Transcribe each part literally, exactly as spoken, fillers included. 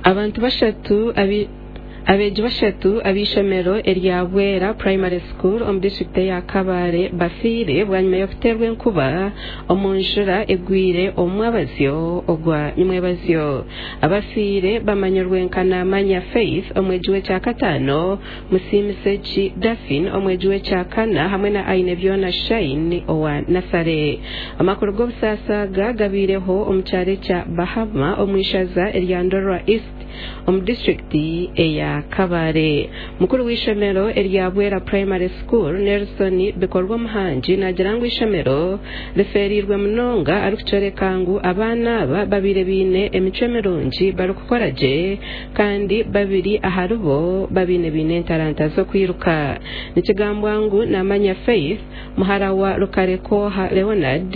Abantu bashatu abi Abeegi bashatu ab'eishomero erya Bwera Primary School omu disiturikiti eya Kabale bafiire bwanyima y'okuteerwa enkuba omu njura egwire omu mwabazyo ogwa nyimwebazyo. Abafiire bamanyirwe nka Namanya Faith omwegi w'ekyakataano, Musiimiseki Daphine omwegi w'ekyakana hamwe na Ainebyona Shine owa nasare. Amakuru g'obusaasi aga gabaireho omu kyaro ekya Bahama omu ishaza erya Ndorwa East omu disiturikiti eya Kabale. Mukuru w'eishomero erya Bwera Primary School Nelson Bikorwa Omuhangi naagira ngu eishomero rifeereirwe munonga arikukyoreka ngu abaana aba babaire baine emicwe mirungi barikukora gye kandi babiri aharibo babaire baine entaranta z'okwiruka. Nikigambwa ngu Namanya Faith muhara wa Rukarekoha Leonard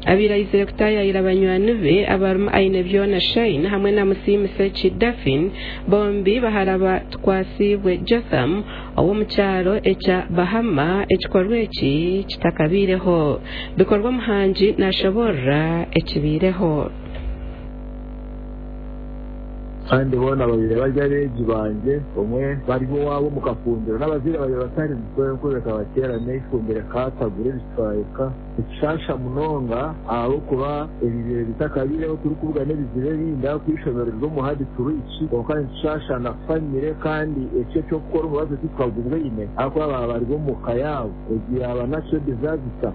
abaire aizire kutaayaayira banywani be abarimu Ainebyona Shine hamwe na Musiimiseki Daphine bombi bahara ba Tukwasibwe Jotham ow'omu kyaro ekya Bahama ekikorwa eki kitakabaireho. Bikorwa Omuhangi naashoboorora ekibaireho. Kandi boona babiri bari abeegi bangye, omwe bari owaabo omu kafumbiro n'abazaire babiri batarimu. Enkuba ekabateera neifumbiro ekaatagura ebicweka. Nikishaasha munonga ahabw'okuba ebi bitakabaireho turikubugana ebizibu ebindi ahabw'okuba eishomero riri omu hard to reach, kwonka nikishaasha na famire kandi ekyo eky'okukora omubazi tikukagubwaine ahabw'okuba baaba bari omu ka yaabo. Egi yaaba natural disaster.